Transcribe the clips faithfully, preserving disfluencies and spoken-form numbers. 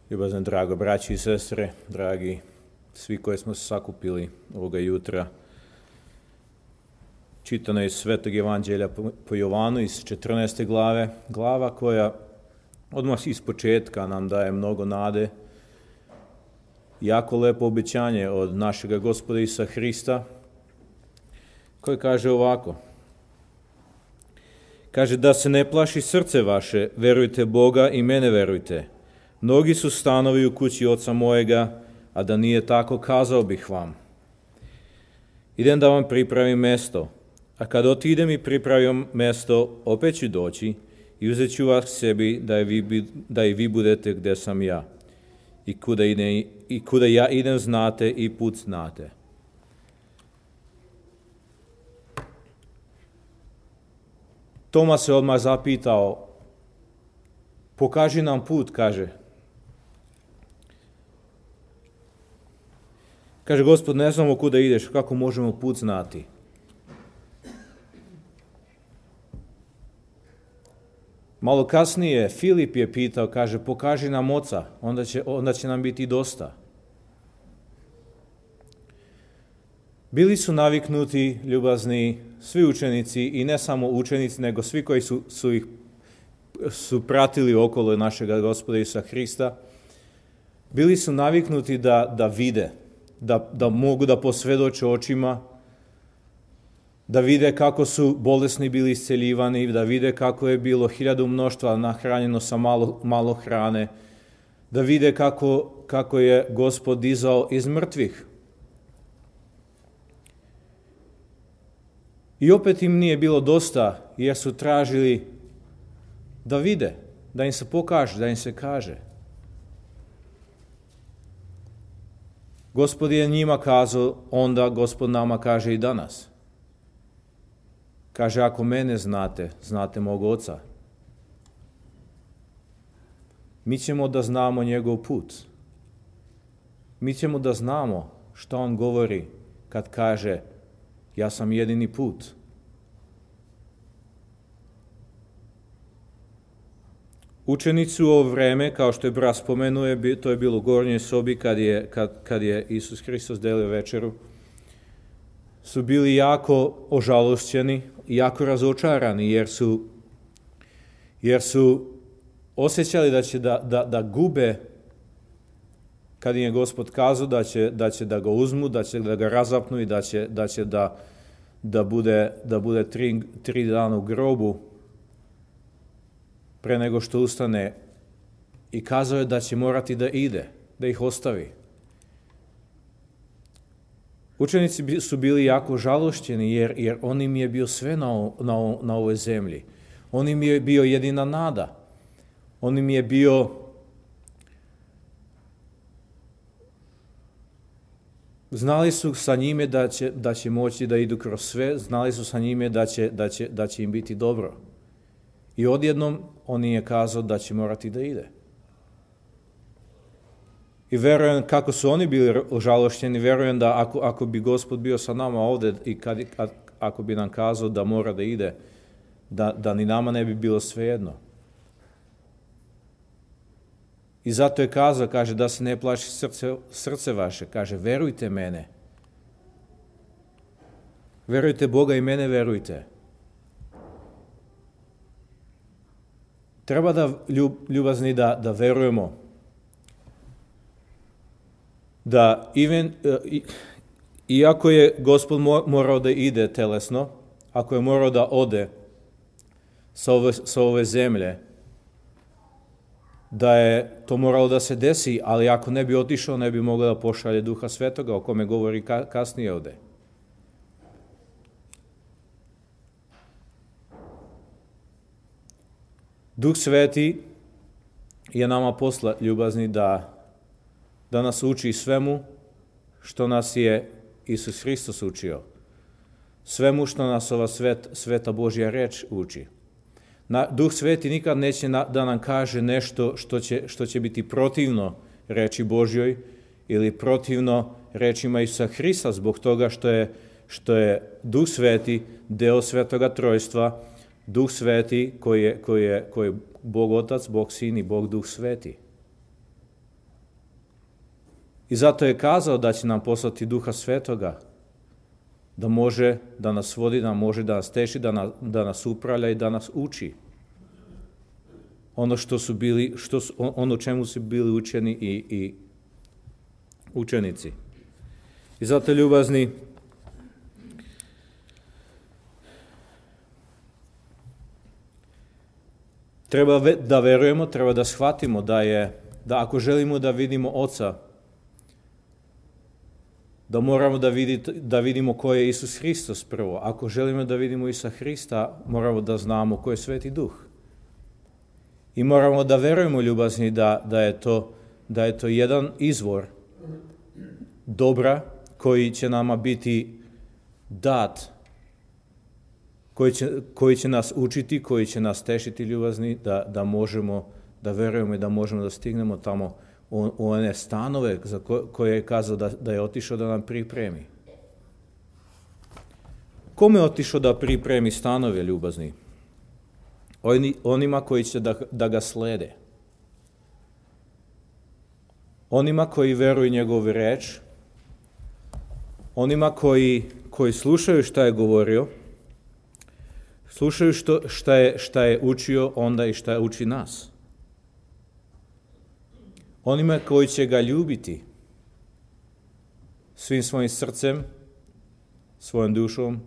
Ljubazne drago braći i sestre, dragi svi koji smo se sakupili ovoga jutra, čitano iz Svetog Evanđelja po Jovanu iz četrnaeste glave, glava koja odmah iz početka nam daje mnogo nade, jako lepo obećanje od našega Gospoda Isusa Hrista, koji kaže ovako. Kaže da se ne plaši srce vaše, verujte Boga i mene verujte. Mnogi su stanovi u kući oca mojega, a da nije tako, kazao bih vam. Idem da vam pripravim mesto, a kad otidem i pripravim mesto, opet ću doći i uzet ću vas sebi da i vi, da i vi budete gde sam ja. I kuda, ide, I kuda ja idem znate i put znate. Toma se odmah zapitao, pokaži nam put, kaže. Kaže, Gospod, ne znamo kuda ideš, kako možemo put znati? Malo kasnije Filip je pitao, kaže, pokaži nam oca, onda će, onda će nam biti dosta. Bili su naviknuti, ljubazni, svi učenici i ne samo učenici, nego svi koji su, su ih su pratili okolo našega Gospoda Isusa Hrista, bili su naviknuti da, da vide, da, da mogu da posvedoče očima, da vide kako su bolesni bili isceljivani, da vide kako je bilo hiljadu mnoštva nahranjeno sa malo, malo hrane, da vide kako, kako je Gospod dizao iz mrtvih. I opet im nije bilo dosta, jer su tražili da vide, da im se pokaže, da im se kaže. Gospod je njima kazao, onda Gospod nama kaže i danas. Kaže, ako mene znate, znate mog oca. Mi ćemo da znamo njegov put. Mi ćemo da znamo što on govori kad kaže, ja sam jedini put. Učenici u ovo vreme, kao što je brat spomenuo, to je bilo u gornjoj sobi kad je, kad, kad je Isus Hristos delio večeru, su bili jako ožalošćeni i jako razočarani, jer su, jer su osjećali da će da, da, da gube, kad im je Gospod kazao da će, da će da ga uzmu, da će da ga razapnu i da će da, će da, da bude, da bude tri, tri dana u grobu, pre nego što ustane, i kazao je da će morati da ide, da ih ostavi. Učenici su bili jako žalošćeni, jer, jer on im je bio sve na, na, na ovoj zemlji. On im je bio jedina nada. On im je bio znali su sa njime da će, da će moći da idu kroz sve, znali su sa njime da će, da će, da će im biti dobro. I odjednom on im je kazao da će morati da ide. I verujem kako su oni bili ožalošćeni, verujem da ako, ako bi Gospod bio sa nama ovde i kad, ako bi nam kazao da mora da ide, da, da ni nama ne bi bilo svejedno. I zato je kazao, kaže, da se ne plaši srce, srce vaše, kaže, verujte mene. Verujte Boga i mene verujte. Treba da ljubazni da, da verujemo da even, iako je Gospod morao da ide telesno, ako je morao da ode sa ove, sa ove zemlje, da je to moralo da se desi, ali ako ne bi otišao, ne bi mogao da pošalje Duha Svetoga, o kome govori kasnije ovde. Duh Sveti je nama posla ljubazni da, da nas uči svemu što nas je Isus Hristos učio. Svemu što nas ova svet, sveta Božja reč uči. Na, Duh Sveti nikad neće na, da nam kaže nešto što će, što će biti protivno reči Božjoj ili protivno rečima Isusa Hrista, zbog toga što je, što je Duh Sveti deo Svetoga Trojstva, Duh Sveti koji je, koji je, koji je Bog Otac, Bog Sin i Bog Duh Sveti. I zato je kazao da će nam poslati Duha Svetoga, da može da nas vodi, da može da nas teši, da nas, da nas upravlja i da nas uči. Ono što su bili, što su, ono čemu su bili učeni i, i učenici. I zato, ljubazni, treba da verujemo, treba da shvatimo da je, da ako želimo da vidimo Oca, da moramo da, vidite, da vidimo ko je Isus Hristos prvo. Ako želimo da vidimo Isusa Hrista, moramo da znamo ko je Sveti Duh. I moramo da verujemo, ljubazni, da, da, je to, da je to jedan izvor dobra koji će nama biti dat, koji će, koji će nas učiti, koji će nas tešiti, ljubazni, da, da možemo da verujemo i da možemo da stignemo tamo u, u one stanove za ko, koje je kazao da, da je otišao da nam pripremi. Kome je otišao da pripremi stanove, ljubazni? Oni, onima koji će da, da ga slede. Onima koji veruju njegovu reč, onima koji, koji slušaju šta je govorio, slušaju što, šta, je, šta je učio onda i šta uči nas. Onima koji će ga ljubiti svim svojim srcem, svojom dušom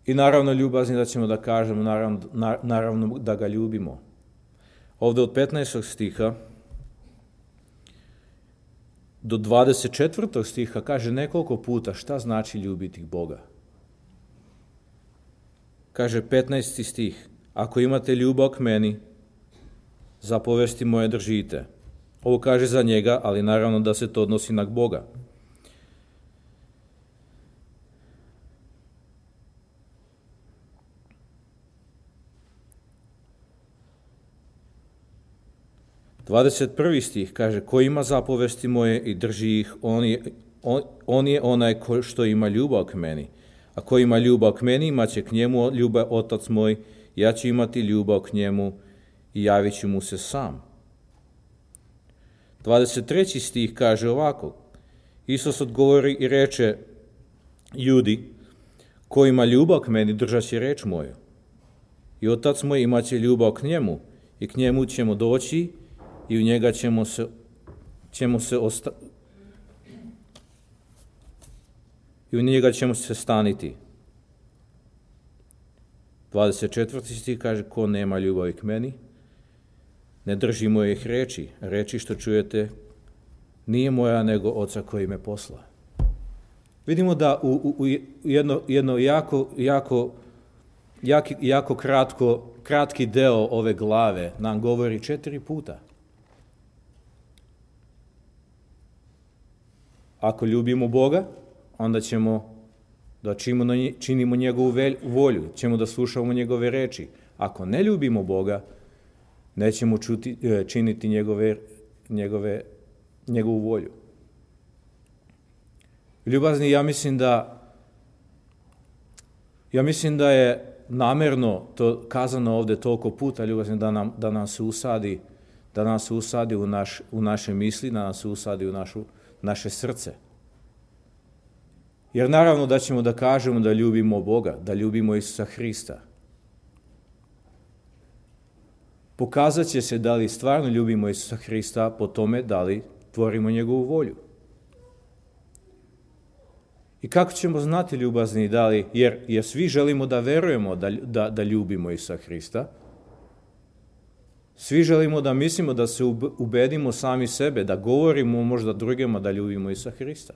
i naravno ljubazni da ćemo da kažemo, naravno, naravno da ga ljubimo. Ovdje od petnaestog stiha do dvadeset četvrtog stiha kaže nekoliko puta šta znači ljubiti Boga. Kaže petnaesti stih, ako imate ljubav k meni, zapovesti moje držite. Ovo kaže za njega, ali naravno da se to odnosi na Boga. dvadeset prvi stih kaže, ko ima zapovesti moje i drži ih, on je, on, on je onaj ko, što ima ljubav k meni. A ko ima ljubav k meni, imat će k njemu ljubav Otac moj, ja ću imati ljubav k njemu i javit ću mu se sam. dvadeset treći stih kaže ovako, Isus odgovori i reče, ljudi, ko ima ljubav k meni, držat će reč moju. I Otac moj imat će ljubav k njemu i k njemu ćemo doći i u njega ćemo se, ćemo se osta... i u njega ćemo se staniti. dvadeset četvrti stih kaže, ko nema ljubavi k meni, ne drži mojih reči. Reči što čujete nije moja, nego Oca koji me posla. Vidimo da u, u, u jedno, jedno jako, jako, jako, jako kratko, kratki deo ove glave nam govori četiri puta. Ako ljubimo Boga, onda ćemo da činimo njegovu volju, ćemo da slušamo njegove reči. Ako ne ljubimo Boga, nećemo čuti, činiti njegove, njegove, njegovu volju. Ljubazni, ja mislim da ja mislim da je namerno to kazano ovdje toliko puta, ljubazni, da nam, da nam se usadi, da nam se usadi u, naš, u naše misli, da nam se usadi u našu, naše srce. Jer naravno da ćemo da kažemo da ljubimo Boga, da ljubimo Isusa Hrista. Pokazat će se da li stvarno ljubimo Isusa Hrista po tome da li tvorimo njegovu volju. I kako ćemo znati, ljubazni, da li, jer, jer svi želimo da verujemo da, da, da ljubimo Isusa Hrista, svi želimo da mislimo da se ubedimo sami sebe, da govorimo možda drugima da ljubimo Isusa Hrista.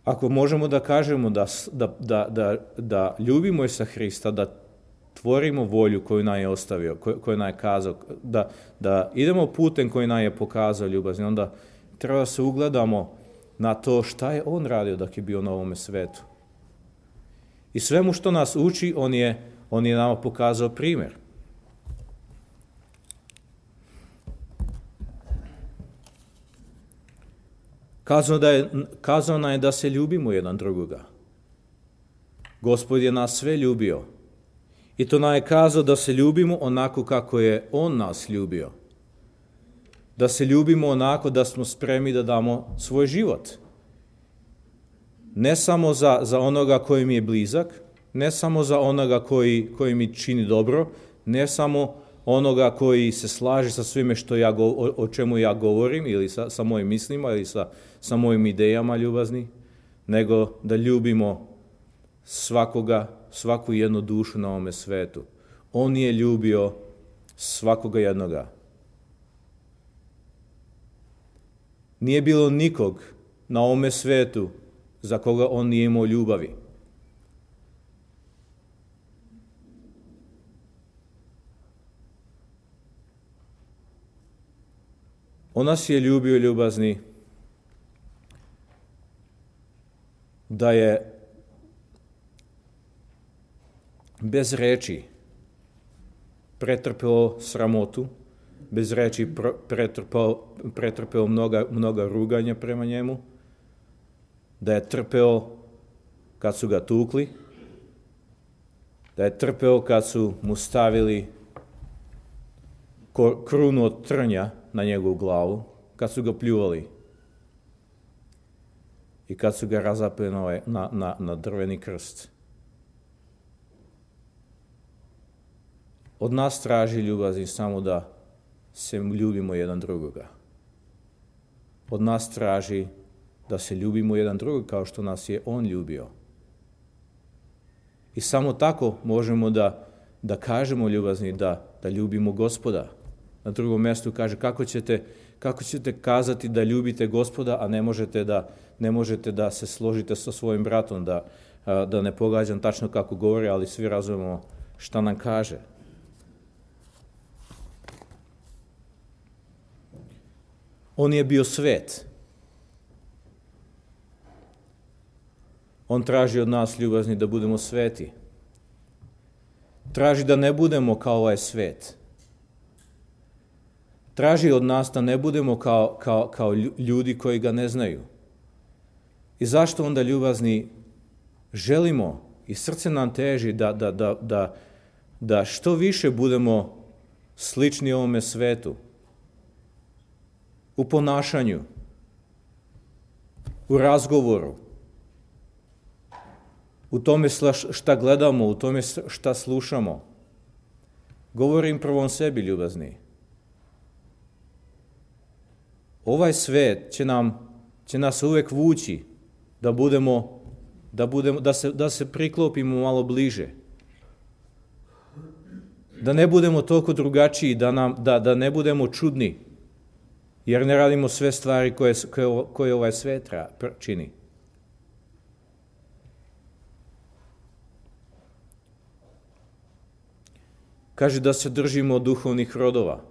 Ako možemo da kažemo da, da, da, da, da ljubimo Isusa Hrista, da tvorimo volju koju nam je ostavio, koju, koju nam je kazao, da, da idemo putem koji nam je pokazao, ljubazni, onda treba da se ugledamo na to šta je on radio dok je bio na ovome svetu. I svemu što nas uči, on je, on je nama pokazao primjer. Kazao, da je, kazao nam je da se ljubimo jedan drugoga. Gospod je nas sve ljubio I to nam je kazao da se ljubimo onako kako je on nas ljubio. Da se ljubimo onako da smo spremni da damo svoj život. Ne samo za, za onoga koji mi je blizak, ne samo za onoga koji, koji mi čini dobro, ne samo onoga koji se slaže sa svime što ja, o, o čemu ja govorim ili sa, sa mojim mislima ili sa, sa mojim idejama ljubazni, nego da ljubimo svakoga, svaku jednu dušu na ovome svetu. On je ljubio svakoga jednoga. Nije bilo nikog na ovome svetu za koga on nije imao ljubavi. On nas je ljubio, ljubazni, da je bez reči pretrpeo sramotu, bez reči pretrpeo, pretrpeo mnoga, mnoga ruganja prema njemu, da je trpeo kad su ga tukli, da je trpeo kad su mu stavili krunu od trnja na njegovu glavu, kad su ga pljuvali i kad su ga razapeli na, na, na, na drveni krst. Od nas traži, ljubazni, samo da se ljubimo jedan drugoga. Od nas traži da se ljubimo jedan drugog kao što nas je on ljubio. I samo tako možemo da, da kažemo, ljubazni, da, da ljubimo Gospoda. Na drugom mjestu kaže kako ćete, kako ćete kazati da ljubite Gospoda, a ne možete da, ne možete da se složite sa svojim bratom, da, da ne pogađam tačno kako govori, ali svi razumemo šta nam kaže. On je bio svet. On traži od nas, ljubazni, da budemo sveti. Traži da ne budemo kao ovaj svet. Traži od nas da ne budemo kao, kao, kao ljudi koji ga ne znaju. I zašto onda, ljubazni, želimo i srce nam teži da, da, da, da, da što više budemo slični ovome svetu. U ponašanju, u razgovoru, u tome šta gledamo, u tome šta slušamo. Govorim prvom sebi, ljubazni. Ovaj svet će nam, će nas uvek vući da budemo, da budemo, da se, da se priklopimo malo bliže. Da ne budemo toliko drugačiji, da, nam, da, da ne budemo čudni, jer ne radimo sve stvari koje, koje, koje ovaj svet čini. Kaže da se držimo duhovnih rodova.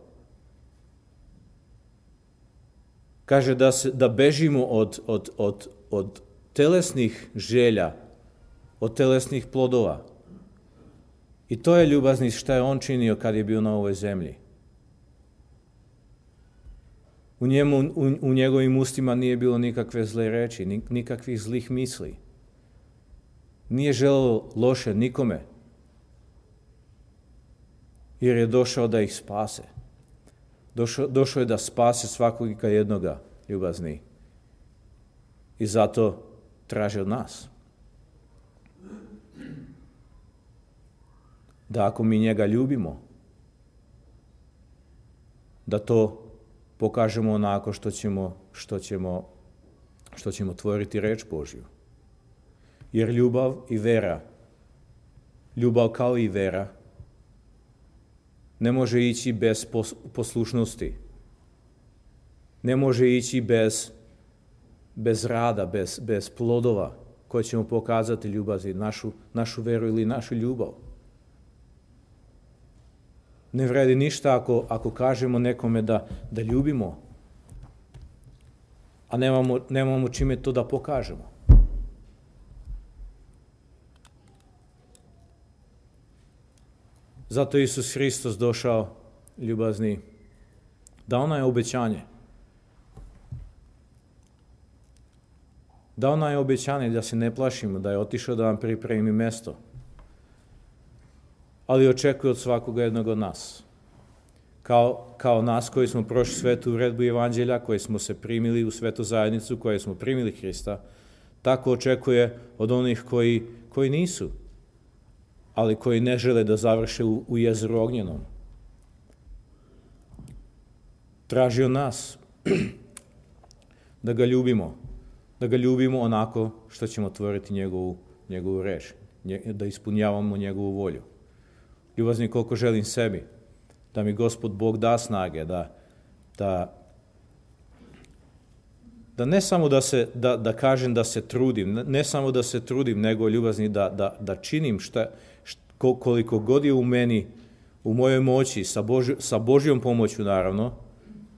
Kaže da, se, da bežimo od, od, od, od telesnih želja, od telesnih plodova. I to je, ljubazni, šta je on činio kad je bio na ovoj zemlji. U, njemu, u, u njegovim ustima nije bilo nikakve zle reči, nikakvih zlih misli. Nije želeo loše nikome, jer je došao da ih spase. Došao, došao je da spase svakog i jednoga, ljubazni. I zato traži od nas da ako mi njega ljubimo, da to pokažemo onako što ćemo, što ćemo, što ćemo tvoriti reč Božju. Jer ljubav i vera, ljubav kao i vera, ne može ići bez poslušnosti. Ne može ići bez, bez rada, bez, bez plodova koje ćemo pokazati, ljubavi, našu, našu veru ili našu ljubav. Ne vredi ništa ako, ako kažemo nekome da, da ljubimo, a nemamo, nemamo čime to da pokažemo. Zato je Isus Hristos došao, ljubazni, dao nam je obećanje. Dao nam je obećanje da se ne plašimo, da je otišao da nam pripremi mesto. ali očekuje od svakoga jednog od nas. Kao, kao nas koji smo prošli svetu uredbu evanđelja, koji smo se primili u svetu zajednicu, koji smo primili Hrista, tako očekuje od onih koji, koji nisu, ali koji ne žele da završe u, u jezeru ognjenom. Traži od nas da ga ljubimo, da ga ljubimo onako što ćemo tvoriti njegovu, njegovu reč, da ispunjavamo njegovu volju. Ljubazni, koliko želim sebi, da mi Gospod Bog da snage, da, da, da ne samo da, se, da, da kažem da se trudim, ne samo da se trudim, nego ljubazni da, da, da činim šta, šta, koliko god je u meni, u mojoj moći, sa, Boži, sa Božjom pomoću naravno,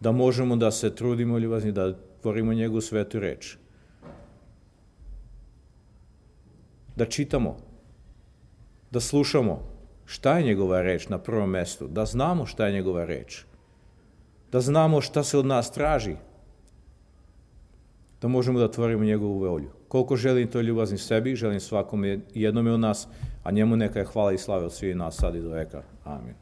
da možemo da se trudimo, ljubazni, da tvorimo njegovu svetu reč. Da čitamo, da slušamo šta je njegova reč na prvom mjestu, da znamo šta je njegova reč, da znamo šta se od nas traži, da možemo da tvorimo njegovu volju. Koliko želim to ljubazni sebi, želim svakom jednome od nas, a njemu neka je hvala i slava od svih nas sad i do veka. Amin.